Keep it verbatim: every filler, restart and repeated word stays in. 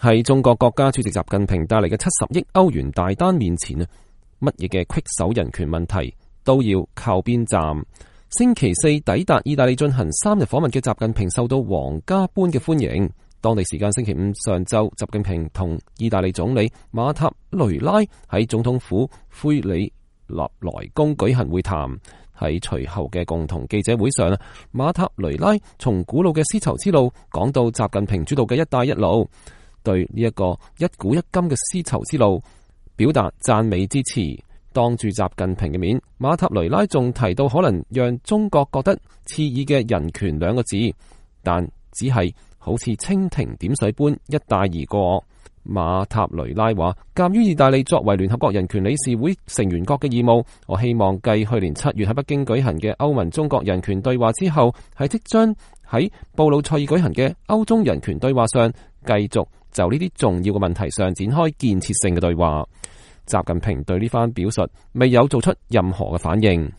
喺中國國家主席習近平帶嚟嘅七十億歐元大單面前啊，乜嘢嘅棘手人權問題都要靠邊站。星期四抵達意大利進行三日訪問嘅習近平受到皇家般嘅歡迎。當地時間星期五上晝，習近平同意大利總理馬塔雷拉喺總統府灰里納萊宮舉行會談。喺隨後嘅共同記者會上，馬塔雷拉從古老嘅絲綢之路講到習近平主導嘅一帶一路，對呢一個一古一今嘅絲綢之路表達讚美之詞。當住習近平嘅面，馬塔雷拉仲提到可能讓中國覺得刺耳嘅人權兩個字，但只係好似蜻蜓點水般一帶而過。馬塔雷拉話，鑒於意大利作為聯合國人權理事會成員國嘅義務，我希望繼去年七月喺北京舉行嘅歐盟中國人權對話之後，喺即將喺布魯塞爾舉行嘅歐中人權對話上，繼續就呢啲重要嘅問題上展開建設性嘅對話。習近平對呢番表述未有做出任何嘅反應。